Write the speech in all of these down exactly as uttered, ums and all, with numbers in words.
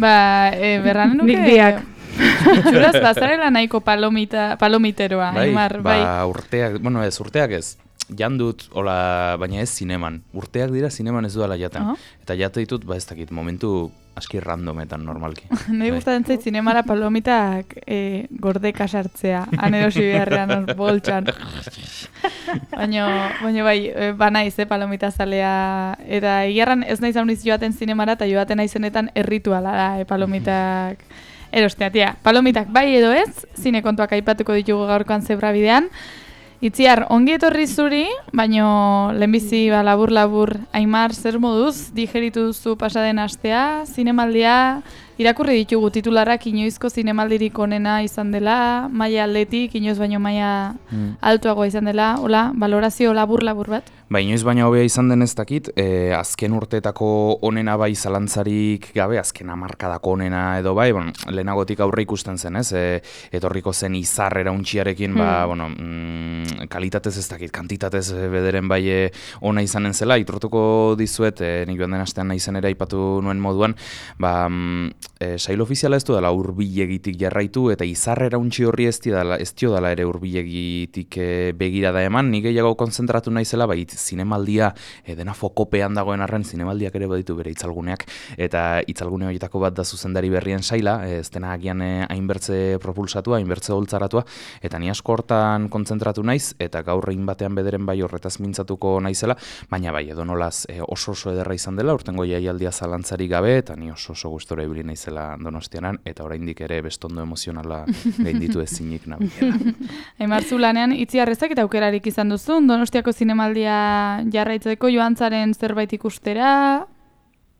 Ba, e, berran nuke... Nik biak. Itxuraz, bazarela nahiko palomita, palomiteroa, bai, Aimar, ba, bai. urteak, bueno ez, urteak ez, jandut, hola, baina ez zineman. Urteak dira zineman ez duela jaten. Oh. Eta jate ditut, ba ez dakit, momentu aski randometan normalki. Nei gustatzen zait zinemara palomitak e, gordeka sartzea, anerosi beharrean boltsan. Baina, baina bai, e, banaiz, eh, palomita zalea. Eta egiarran ez naiz hauniz joaten zinemara, eta joaten naizenetan errituala da, eh, palomitak... Erostea, tia, palomitak bai edo ez, zine kontuak aipatuko ditugu gaurkoan zebrabidean. Itziar, ongi etorri zuri, baino lehenbizi ba, labur-labur, Aimar, zer moduz, digeritu duzu pasaden astea, zinemaldia, irakurri ditugu titularrak inoizko zinemaldirik onena izan dela, maila aldetik, inoiz baino maila mm. altuagoa izan dela, hola, balorazio labur-labur bat? Ba, inoiz baina hobea izan den ez dakit, e, azken urteetako onena bai zalantzarik gabe, azken hamarkadako onena edo bai, bon, lehenagotik aurre ikusten zen, ez? E, etorriko zen izarrera untxiarekin, hmm. ba, bueno, mm, kalitatez ez dakit, kantitatez bederen bai e, ona izanen zela, iturtuko dizuet, e, nik joan den astean nahi zen ere aipatu nuen moduan, ba, e, sail ofiziala ez du dela hurbilegitik jarraitu, eta izarrera untxi horri ez dela, ez dio dela ere hurbilegitik e, begirada eman, nik gehiago konzentratu nahi zela, bai, zinemaldia, e, dena fokopean dagoen arren, zinemaldiak ere baditu bere itzalguneak, eta itzalgune horietako bat da zuzendari berrien saila, ez dena agian e, hainbertze propulsatua, hainbertze holtzaratua, eta ni asko hortan kontzentratu naiz, eta gaur egin batean bederen bai horretaz mintzatuko naizela, baina bai, edo nolaz e, oso oso ederra izan dela, urtengo jaialdia zalantzari gabe, eta ni oso oso gustora ibili naizela Donostianan, eta oraindik ere bestondo emozionala gainditu ezinik nabilela. Aimar, zu lanean itziarrezak eta aukerarik izan duzun, Donostiako zinemaldia jarraitzeko joan zaren zerbait ikustera?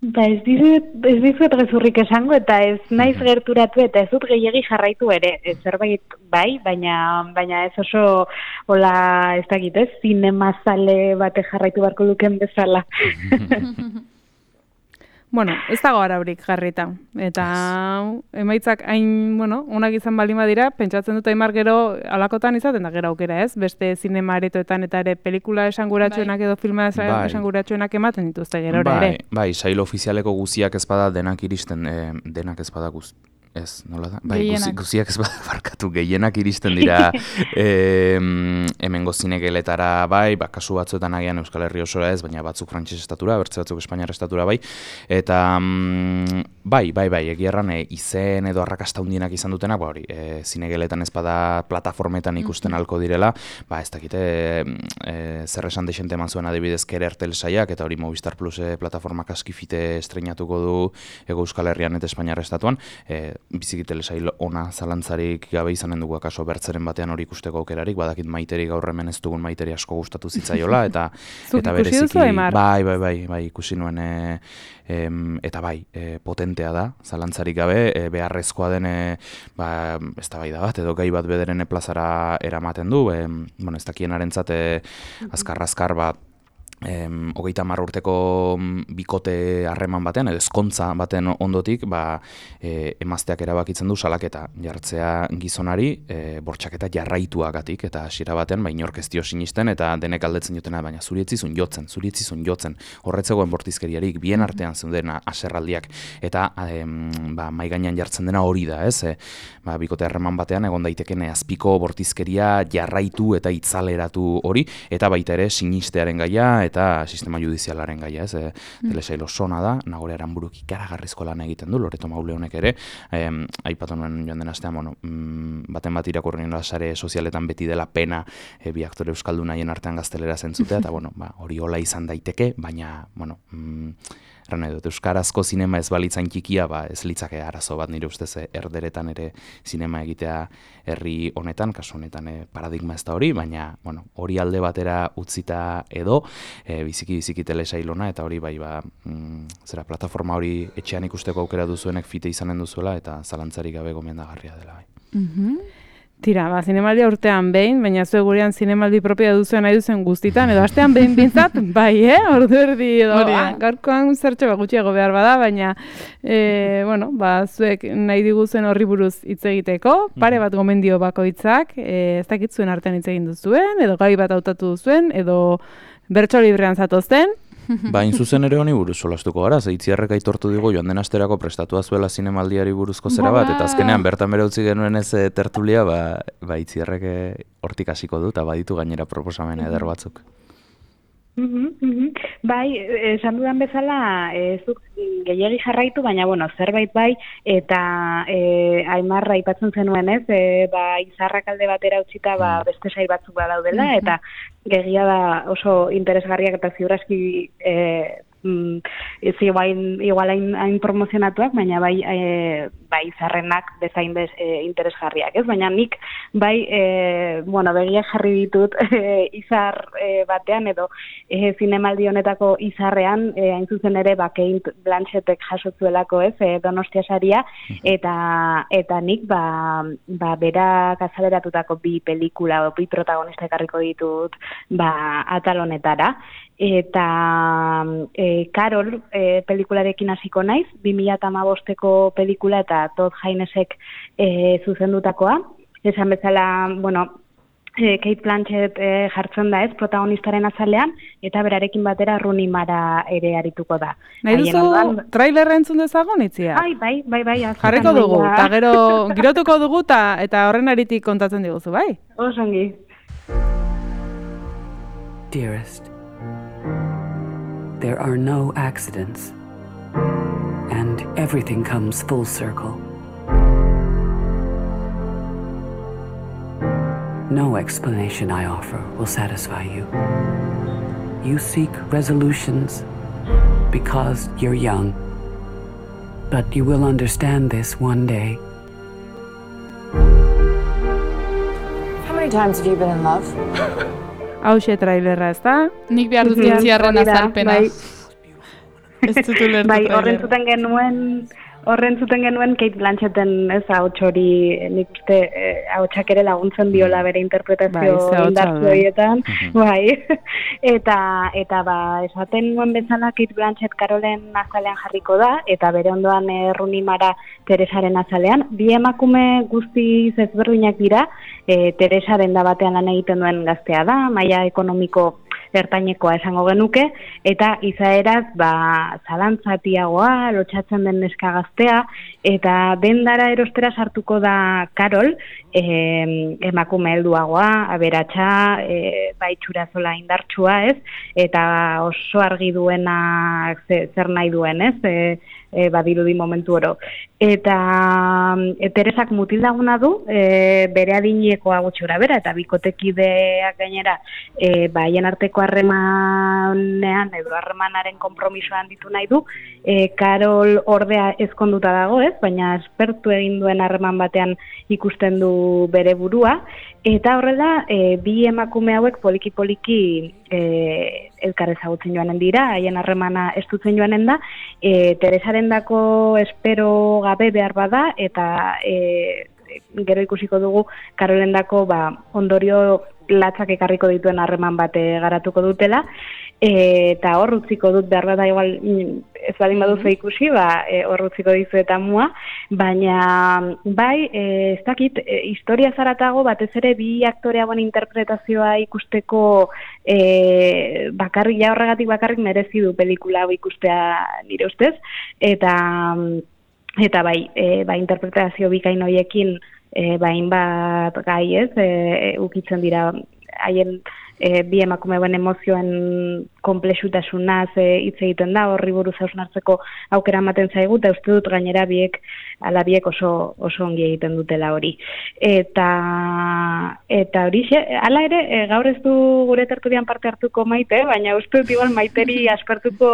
Ba ez dizut, ez dizut gezurrik esango eta ez naiz gerturatu eta ez dut gehiegi jarraitu ere. Ez zerbait bai, baina baina ez oso hola ez dakit ez, zinemazale bate jarraitu beharko luken bezala. Bueno, ez dago araurik jarrita. Eta emaitzak hain, bueno, onak izan baldin badira, pentsatzen dut Aimar gero alakotan izaten da gero aukera, ez? Beste zinema aretoetan eta ere pelikula esanguratsuenak edo filma esanguratsuenak ematen dituzte gero ere. Bai, bai, sail ofizialeko guziak ez bada denak iristen, eh, denak ez bada guz. Ez, nola da? Bai, guzi, guziak ez bada barkatu, gehienak iristen dira e, hemengo zinegeletara bai, ba, kasu batzuetan agian Euskal Herri osora ez, baina batzuk frantses estatura, bertze batzuk Espainiar estatura bai, eta mm, bai, bai, bai, egierran e, izen edo arrakasta hundienak izan dutenak, ba hori, e, zinegeletan ez bada plataformetan ikusten halko direla, ba ez dakite, e, zer esan deixente eman zuen adibidez Kerertel saiak, eta hori Movistar Plus e, plataformak askifite estreinatuko du Ego Euskal Herrian eta Espainiar estatuan, e, biziki telesail ona zalantzarik gabe izanen dugu akaso bertzeren batean hori ikusteko aukerarik, badakit Maiteri gaur hemen ez dugun Maiteri asko gustatu zitzaiola, eta eta bereziki bai, bai, bai, bai, ikusi nuen e, e, eta bai, e, potentea da, zalantzarik gabe, e, beharrezkoa den e, ba, eztabaida bat, edo gai bat bederen plazara eramaten du, e, bueno, ez dakienarentzat e, azkar-azkar bat, Em, hogeita hamar urteko bikote harreman batean, edo ezkontza baten ondotik, ba, e, emazteak erabakitzen du salaketa jartzea gizonari, e, bortxaketa jarraituagatik, eta hasiera baten, ba, inork ez dio sinisten, eta denek aldetzen jotena, baina zuri etzizun jotzen, zuri etzizun jotzen, horretzegoen bortizkeriarik, bien artean zeuden aserraldiak, eta em, ba, maigainan jartzen dena hori da, ez? E, ba, bikote harreman batean, egon daiteken azpiko bortizkeria jarraitu eta itzaleratu hori, eta baita ere sinistearen gaia, eta sistema judizialaren gaia, ez, e, mm. telesail osona da, Nagore Aranburuk ikaragarrizko lan egiten du, Loreto Maule honek ere, e, aipatu nuen joan den astean, bueno, mm, baten bat irakurri nola sare sozialetan beti dela pena e, bi aktore euskaldun haien artean gaztelera zentzutea, eta bueno, ba, hori hola izan daiteke, baina, bueno, mm, erran edo, euskarazko zinema ez balitzain txikia, ba, ez litzake arazo bat nire ustez erderetan ere zinema egitea herri honetan, kasu honetan e, paradigma ez da hori, baina bueno, hori alde batera utzita edo, e, biziki-biziki telesailona, eta hori bai, ba, mm, zera, plataforma hori etxean ikusteko aukera duzuenek fite izanen duzuela, eta zalantzarik gabe gomendagarria dela bai. Mm-hmm. Tira, ba, zinemaldia urtean behin, baina zue gurean zinemaldi propioa duzuen nahi duzen guztitan, edo astean behin bintzat, bai, eh? Ordu erdi edo, ah, gaurkoan zertxo bat gutxiago behar bada, baina, e, bueno, ba, zuek nahi diguzen horri buruz hitz egiteko, pare bat gomendio bakoitzak, e, ez dakit zuen artean hitz egin duzuen, edo gai bat hautatu duzuen, edo bertso librean zatozten, Bain zuzen ere honi buruz solastuko gara, ze Itziarrek aitortu digu joan den asterako prestatua zuela zinemaldiari buruzko zera bat, eta azkenean bertan bere utzi genuen ez tertulia, ba, ba Itziarrek hortik hasiko du, eta baditu gainera proposamen eder batzuk. Mm-hmm, mm-hmm. Bai, esan dudan bezala, ez duk gehiagi jarraitu, baina, bueno, zerbait bai, eta e, Aimarra aipatzen zenuen ez, e, ba, Izarrak alde batera utzita, ba, beste sail batzuk badaudela, mm-hmm. eta gehiagia da oso interesgarriak eta ziurazki e, mm, ez igual, igual hain, hain promozionatuak, baina bai, e, bai Izarrenak bezain bez, e, interesgarriak, ez? Baina nik bai, e, bueno, begiak jarri ditut e, Izar e, batean edo e, zinemaldi honetako Izarrean, e, hain zuzen ere, ba, Kate Blanchettek jasotzuelako, ez, e, Donostia saria, eta, eta nik, ba, ba berak azaleratutako bi pelikula, bi protagonista ekarriko ditut, ba, atal honetara. Eta e, Carol e, pelikularekin hasiko naiz, bi mila hamabosteko pelikula eta Todd Haynesek e, zuzendutakoa. Esan bezala, bueno, e, Kate Blanchett e, jartzen da ez, protagonistaren azalean, eta berarekin batera Rooney Mara ere arituko da. Nahi duzu ondan... trailerra entzun dezagun, Itzia? Bai, bai, bai, bai. Jarriko dugu, eta gero girotuko dugu, eta horren aritik kontatzen diguzu, bai? Osongi. Dearest, there are no accidents, and everything comes full circle. No explanation I offer will satisfy you. You seek resolutions because you're young, but you will understand this one day. How many times have you been in love? Hauxe trailerra, ez da? Nik behar dut Itziarren azalpena. Ez dut ulertu bai, trailerra. Horren zuten genuen, horren zuten genuen Kate Blanchetten, ez, ahots hori, nik uste, ahotsak ere laguntzen diola bere interpretazio bai, indartzu horietan. Bai, eta, eta ba, esaten nuen bezala Kate Blanchett Carolen azalean jarriko da, eta bere ondoan eh, Rooney Mara Teresaren azalean. Bi emakume guzti ezberdinak dira, e, Teresaren da batean lan egiten duen gaztea da, maila ekonomiko ertainekoa esango genuke, eta izaeraz, ba, zalantzatiagoa, lotxatzen den neska gaztea, eta dendara erostera sartuko da Carol, e, emakume helduagoa, aberatsa, e, bai txurazola indartsua, ez? Eta oso argi duena zer nahi duen, ez? E, E, badirudi momentu oro. Eta e, Teresak mutildaguna du, e, bere adinekoa gutxora bera, eta bikotekideak gainera, e, ba, haien arteko harremanean, edo harremanaren konpromisoan ditu nahi du, e, Carol ordea ezkonduta dago, ez? Baina espertu egin duen harreman batean ikusten du bere burua, eta horrela, e, bi emakume hauek poliki-poliki e, elkar ezagutzen joanen dira, haien harremana estutzen joanen da, e, Teresaren dako espero gabe behar bada, eta e, gero ikusiko dugu Carolen dako ba, ondorio latzak ekarriko dituen harreman bate garatuko dutela, e, eta hor utziko dut behar bada igual ez badin baduzu ikusi, ba, e, hor utziko dizu eta mua, baina bai, e, ez dakit, e, historia zaratago batez ere bi aktore hauen interpretazioa ikusteko e, bakarrik, ja horregatik bakarrik merezi du pelikula hau ikustea nire ustez, eta eta bai, e, ba, interpretazio bikain horiekin e, bain bat gai ez, e, ukitzen dira haien e, bi emakumeuen emozioen konplexutasunaz e, hitz egiten da, horri buruz hausnartzeko aukera ematen zaigu, eta uste dut gainera biek, ala biek oso, oso ongi egiten dutela hori. Eta, eta hori, ala ere, e, gaur ez du gure tertulian parte hartuko Maite, baina uste dut igual Maiteri aspertuko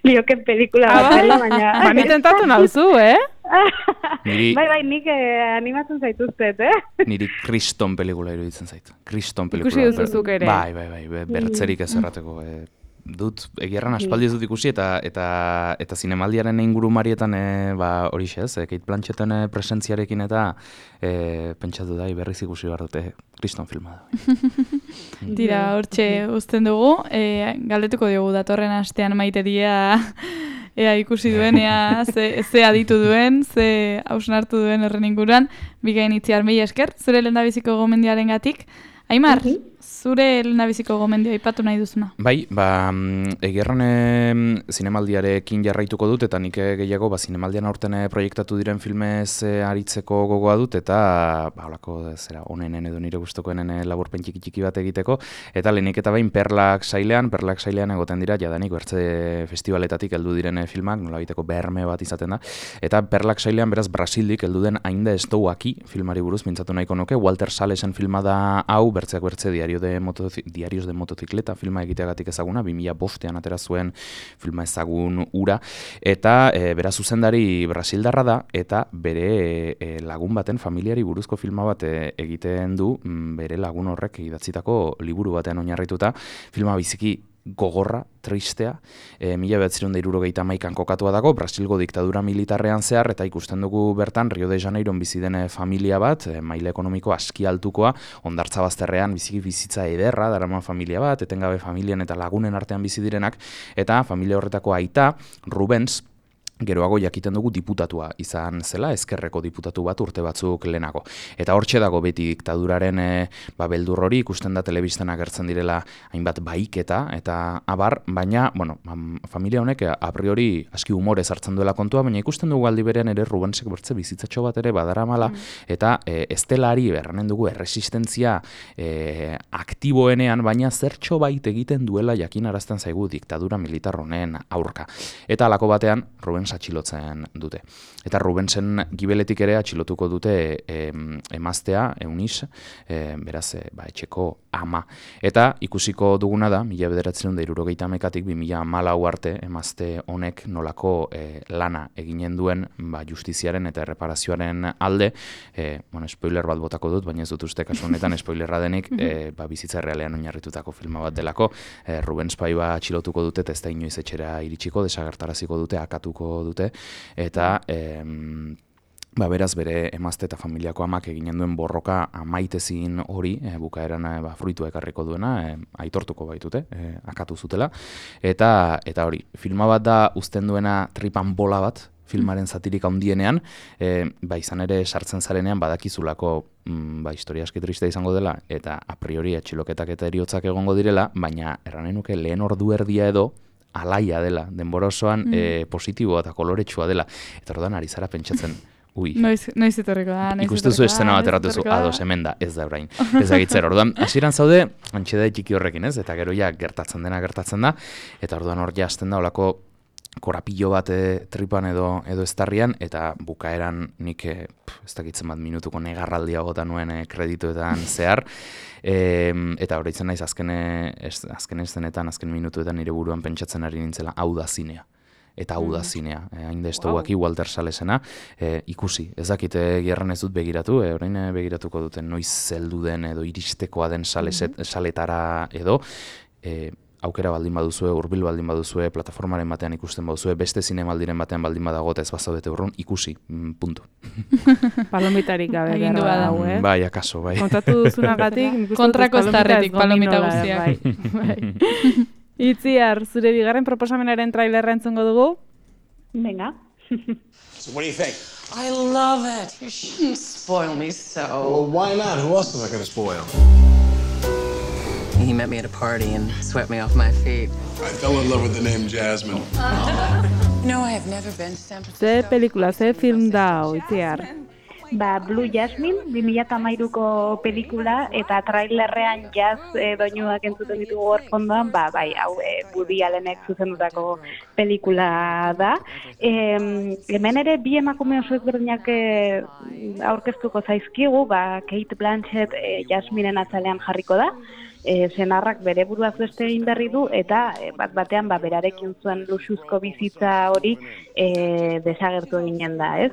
lioken pelikula bat dela, baina... Ba, ni tentatu nauzu, eh? Niri... Bai, bai, nik eh, animatzen zaituztet, eh? Niri kriston pelikula iruditzen zaitu. Kriston pelikula. Ikusi duzuzuk ere. Bai, bai, bai, bertzerik ez errateko. E, dut, egierran aspaldi ez dut ikusi, eta eta eta zinemaldiaren ingurumarietan e, ba, horixe ez, e, Kate Blanchetten presentziarekin eta e, pentsatu da, berriz ikusi behar dute, kriston filma da. Tira, hortxe uzten dugu, e, galdetuko diogu datorren astean Maiteria... Ea ikusi duen, ea ze, ze aditu duen, ze hausnartu duen horren inguruan, bikain Itziar mila esker, zure lehendabiziko gomendiaren gatik. Aimar, zure lehendabiziko gomendio aipatu nahi duzuna. Bai, ba, egerran zinemaldiarekin jarraituko dut, eta nik gehiago ba, zinemaldian aurten proiektatu diren filmez aritzeko gogoa dut, eta ba, holako zera, onenen edo nire gustokoenen laburpen txiki txiki bat egiteko, eta lehenik eta bain Perlak sailean, Perlak sailean egoten dira, jadanik bertze festivaletatik heldu diren filmak, nolabiteko berme bat izaten da, eta Perlak sailean beraz Brasildik heldu den Ainda ez douaki filmari buruz mintzatu nahiko nuke, Walter Salesen filma da hau, bertzeak bertze diario de diarios de motocikleta filma egiteagatik ezaguna, bi mila bostean atera zuen filma ezagun ura, eta e, beraz zuzendari brasildarra da, eta bere e, lagun baten familiari buruzko filma bat e, egiten du, bere lagun horrek idatzitako liburu batean oinarrituta, filma biziki gogorra, tristea, e, mila bederatzirehun eta hirurogeita hamaikan kokatua dago, Brasilgo diktadura militarrean zehar, eta ikusten dugu bertan Rio de Janeiron bizi den familia bat, e, maila ekonomiko aski altukoa, hondartza bazterrean biziki bizitza ederra, daraman familia bat, etengabe familian eta lagunen artean bizi direnak, eta familia horretako aita, Rubens, geroago jakiten dugu diputatua izan zela, ezkerreko diputatu bat urte batzuk lehenago. Eta hortxe dago beti diktaduraren e, ba, beldur hori, ikusten da telebistan agertzen direla hainbat baiketa, eta abar, baina, bueno, familia honek a priori aski humorez hartzen duela kontua, baina ikusten dugu aldi berean ere Rubensek bertze bizitzatxo bat ere badaramala, mm. eta e, estelari berranen dugu erresistentzia e, aktiboenean, baina zertxo bait egiten duela jakin arazten zaigu diktadura militar honen aurka. Eta alako batean, Rubens atxilotzen dute. Eta Rubensen gibeletik ere atxilotuko dute e, emaztea, Eunice, e, beraz, e, ba, etxeko ama. Eta ikusiko duguna da, mila bederatzerun eta hirurogeita hamaikatik bi mila hamalau arte emazte honek nolako e, lana eginen duen ba, justiziaren eta erreparazioaren alde, e, bueno, spoiler bat botako dut, baina ez dut uste kasu honetan spoilerra denik, e, ba, bizitza errealean oinarritutako filma bat delako, e, Rubens Paiva atxilotuko dute, eta ez da inoiz etxera iritsiko, desagertaraziko dute, akatuko dute, eta em, ba, beraz bere emazte eta familiako amak eginen duen borroka amaitezin hori, e, bukaeran e, ba, fruitu ekarriko duena, e, aitortuko baitute, e, akatu zutela, eta eta hori, filma bat da uzten duena tripan bola bat, filmaren zatirik handienean, e, ba, izan ere sartzen zarenean badakizulako mm, ba, historia aski triste izango dela, eta a priori atxiloketak eta eriotzak egongo direla, baina erranen nuke lehen ordu erdia edo, alaia dela, denbora osoan mm. e, positiboa eta koloretsua dela. Eta orduan ari zara pentsatzen, ui. Noiz, noiz etorriko da, noiz ikustuzu estena bat erratuzu, ados hemen da, ez da orain. Ez da gitzer, orduan, hasieran zaude, antxeda txiki horrekin, ez? Eta gero ja gertatzen dena gertatzen da, eta orduan hor jazten da, olako korapillo bat e, tripan edo edo estarrian, eta bukaeran nik e, ez dakitzen bat minutuko negarraldia gota nuen e, kredituetan zehar, e, eta horreitzen naiz azken, ez, azken eszenetan, azken minutuetan nire buruan pentsatzen ari nintzela, hau da zinea. Eta hau da zinea, e, hain da ez wow. Walter Salesena, e, ikusi, ez dakit gerran ez dut begiratu, e, orain begiratuko duten noiz zeldu den edo iristekoa den saleset, saletara edo, e, aukera baldin baduzue, hurbil baldin baduzue, plataformaren batean ikusten baduzue, beste zinemaldiren batean baldin badago eta ez bazaudete urrun, ikusi, mm, puntu. Palomitarik gabe Egindu dago, eh? Bai, akaso, bai. Kontatu duzunagatik, kontrako estarretik palomita guztiak. Bai, bai. Itziar, zure bigarren proposamenaren trailerra entzungo dugu? Venga. So what do you think? I love it. You shouldn't spoil me so. Well, why not? Who else am I going to spoil? He met me at a party and swept me off my feet. I fell in love with the name Jasmine. No, I have never been to San Francisco. Ze pelikula, ze film da, Itziar? Ba, Blue Jasmine, bi mila hamairuko pelikula, eta trailerrean jazz e, doinuak entzuten ditugu hor fondoan, ba, bai, hau e, Woody Allenek zuzendutako pelikula da. E, hemen ere bi emakume oso ezberdinak e, aurkeztuko zaizkigu, ba, Kate Blanchett e, Jasmineen atzalean jarriko da, E, senarrak bere buruaz beste egin berri du, eta e, bat batean ba, berarekin zuen luxuzko bizitza hori e, desagertu eginen da, ez?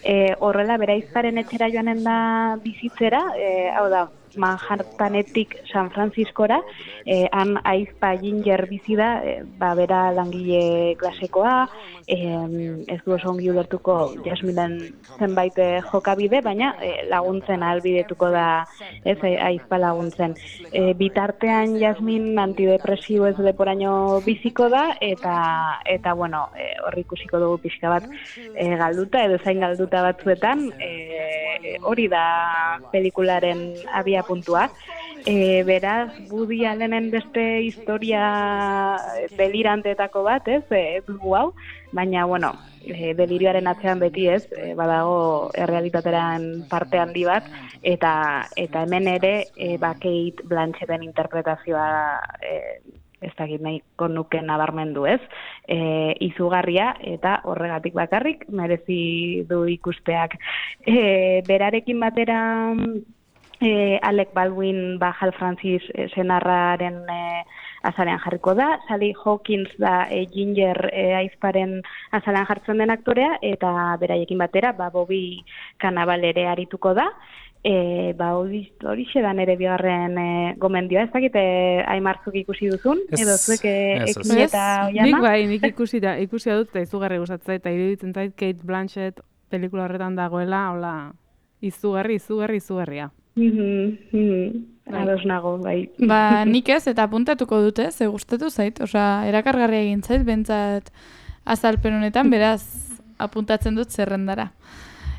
E, horrela, bera izparen etxera joanen da bizitzera, e, hau da, Manhattanetik San Franciscora, eh, han aizpa Ginger bizi da, eh, ba, bera langile klasekoa, eh, ez du oso ongi ulertuko Jasminen zenbait eh, jokabide, baina eh, laguntzen ahalbidetuko da, ez, aizpa laguntzen. Eh, bitartean Jasmin antidepresibo ez leporaino biziko da, eta, eta bueno, eh, horri ikusiko dugu pixka bat eh, galduta, edo zain galduta batzuetan, eh, hori da pelikularen abia puntua. E, beraz, Woody Allenen beste historia deliranteetako bat, ez, e, dugu hau, baina, bueno, e, delirioaren atzean beti ez, e, badago errealitateran parte handi bat, eta eta hemen ere, e, ba, Kate Blanchetten interpretazioa e, ez dakit nahiko nuke nabarmendu ez, e, izugarria eta horregatik bakarrik merezi du ikusteak. E, berarekin batera e, Alec Baldwin ba Hal Francis e, senarraren e, azalean jarriko da, Sally Hawkins da e, Ginger e, aizparen azalean jartzen den aktorea, eta beraiekin batera ba Bobby Cannavale ere arituko da. E, ba, hori da nere bigarren e, gomendioa, ez dakite Aimarzuk ikusi duzun, ez, edo zuek ez, ekin eta oiana? Nik bai, nik ikusi da, ikusi dut, eta izugarri gustatzen eta iruditzen zait Kate Blanchett pelikula horretan dagoela, hola, izugarri, izugarri, izugarria. Mm-hmm. Ados nago, bai. Ba, nik ez, eta apuntatuko dute, ze gustatu zait, osea, erakargarria egin zait, bentsat azalpen honetan, beraz, apuntatzen dut zerrendara.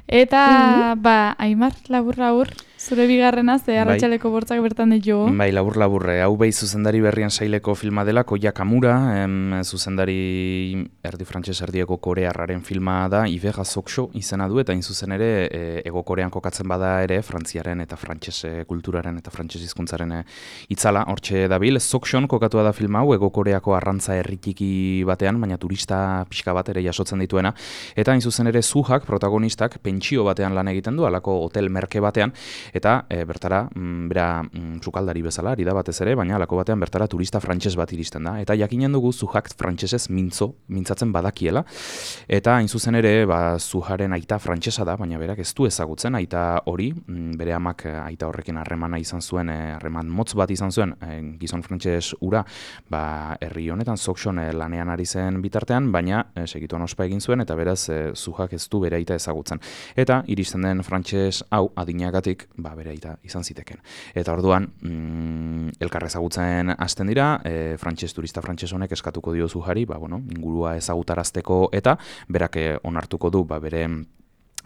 Eta, mm-hmm. ba, Aimar, labur-labur, zure bigarrena, ze arratsaleko bortzak bertan ditu. Bai, labur-labur, hau behi zuzendari berrian saileko filma dela, Koya Kamura, em, zuzendari erdi frantses erdieko korearraren filma da, Ivega Soksho izena du, eta inzuzen ere, e, ego korean kokatzen bada ere, frantziaren eta frantses kulturaren eta frantses hizkuntzaren itzala, hortxe dabil. Sokshon kokatua da filma hau, ego koreako arrantza herritiki batean, baina turista pixka bat ere jasotzen dituena, eta inzuzen ere Suhak, protagonistak, pentsio batean lan egiten du, alako hotel merke batean, eta e, bertara, mm, bera mm, sukaldari bezala, ari da batez ere, baina alako batean bertara turista frantses bat iristen da. Eta jakinen dugu Suhak frantsesez mintzo, mintzatzen badakiela, eta hain zuzen ere, ba, Suharen aita frantsesa da, baina berak ez du ezagutzen, aita hori, mm, bere amak aita horrekin harremana izan zuen, harreman motz bat izan zuen, e, gizon frantses ura, ba, herri honetan Sokshon e, lanean ari zen bitartean, baina e, segituan ospa egin zuen, eta beraz e, Suhak ez du bere aita ezagutzen. Eta iristen den frantses hau adinagatik, ba, bere aita izan ziteken. Eta orduan, mm, elkar ezagutzen hasten dira, e, frantses turista frantses honek eskatuko dio Suhari, ba, bueno, ingurua ezagutarazteko eta berak e, onartuko du, ba, bere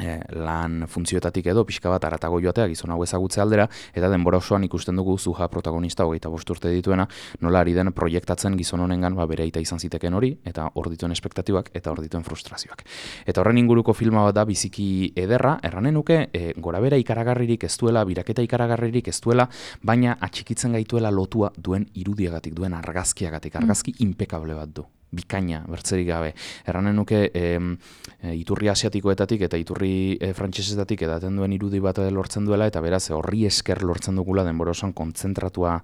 E, lan funtzioetatik edo pixka bat aratago joatea gizon hau ezagutze aldera, eta denbora osoan ikusten dugu Suha protagonista hogeita bost urte dituena, nola ari den proiektatzen gizon honengan ba, bere aita izan ziteken hori, eta hor dituen espektatibak eta hor dituen frustrazioak. Eta horren inguruko filma bat da biziki ederra, erranen nuke, e, gorabera ikaragarririk ez duela, biraketa ikaragarririk ez duela, baina atxikitzen gaituela lotua duen irudiagatik, duen argazkiagatik, argazki mm. impekable bat du. Bikaina, bertzerik gabe. Erranen nuke e, e, iturri asiatikoetatik eta iturri e, frantsesetatik edaten duen irudi bat lortzen duela, eta beraz horri esker lortzen dugula denbora osoan kontzentratua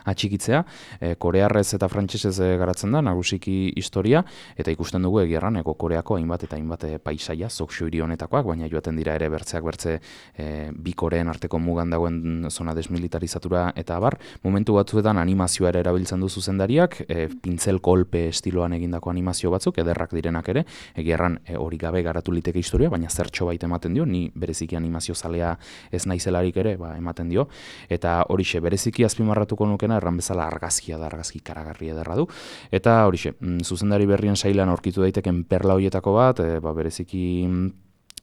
atxikitzea. E, korearrez eta frantsesez garatzen da, nagusiki historia, eta ikusten dugu egierran ego Koreako hainbat eta hainbat paisaia, Soksho hiri honetakoak, baina joaten dira ere bertzeak bertze e, bi Koreen arteko mugan dagoen zona desmilitarizatura eta abar. Momentu batzuetan animazioa ere erabiltzen du zuzendariak, e, pintzel kolpe estiloan egin dako animazio batzuk, ederrak direnak ere, egiarran e, hori gabe garatu liteke historia, baina zertxo bait ematen dio, ni bereziki animazio zalea ez naizelarik ere, ba, ematen dio, eta horixe, bereziki azpimarratuko nukena, erran bezala argazkia da, argazki karagarri ederra du, eta horixe, mm, zuzendari berrien sailan aurkitu daiteken perla horietako bat, e, ba, bereziki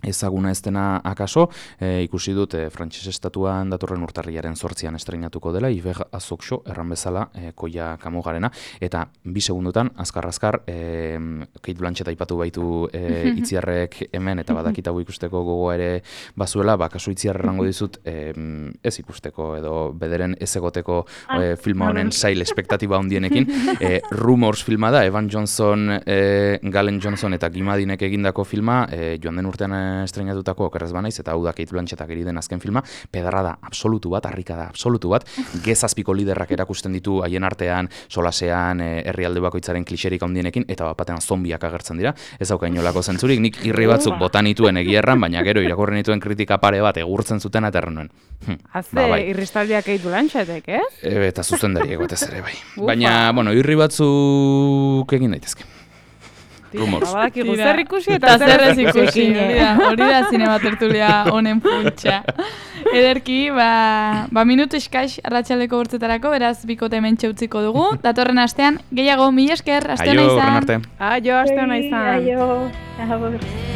ezaguna ez dena akaso, e, ikusi dut e, frantses estatuan datorren urtarriaren zortzian estreinatuko dela, Ivega Soksho erran bezala e, Koya Kamugarena, eta bi segundutan, azkar-azkar, e, Kate Blanchett aipatu baitu e, itziarrek hemen, eta badakit hau ikusteko gogoa ere bazuela, ba, kasu itziar errango dizut, e, ez ikusteko edo bederen ez egoteko e, filma honen sail espektatiba handienekin, e, Rumors filma da, Evan Johnson, e, Galen Johnson eta Gimadinek egindako filma, e, joan den urtean estreinatutako okerrez banaiz, eta hau da Kate Blanchettak eri den azken filma, pedarra da absolutu bat, harrika da absolutu bat, gezazpiko liderrak erakusten ditu haien artean, solasean, herrialde bakoitzaren klixerik handienekin, eta bat batean zombiak agertzen dira, ez hauka inolako zentzurik, nik irri batzuk botan nituen egierran, baina gero irakurren nituen kritika pare bat egurtzen zuten eta erren nuen. Hm, Azte, ba, bai. Irristaldiak Kate Blanchettek, eh? E, eta zuzendari egotez ere, bai. Baina, bueno, irri batzuk egin daitezke. Rumors. Bakigu zer ikusi eta zer ez ikusi. Hori da zinema tertulia honen puntxa. Ederki, ba, ba minutu eskaix arratsaleko bortzetarako, beraz bikote hementxe utziko dugu. Datorren astean, gehiago, mila esker, aste hona izan. Aio, horren arte. Aio, aste hona izan. Aio, aio.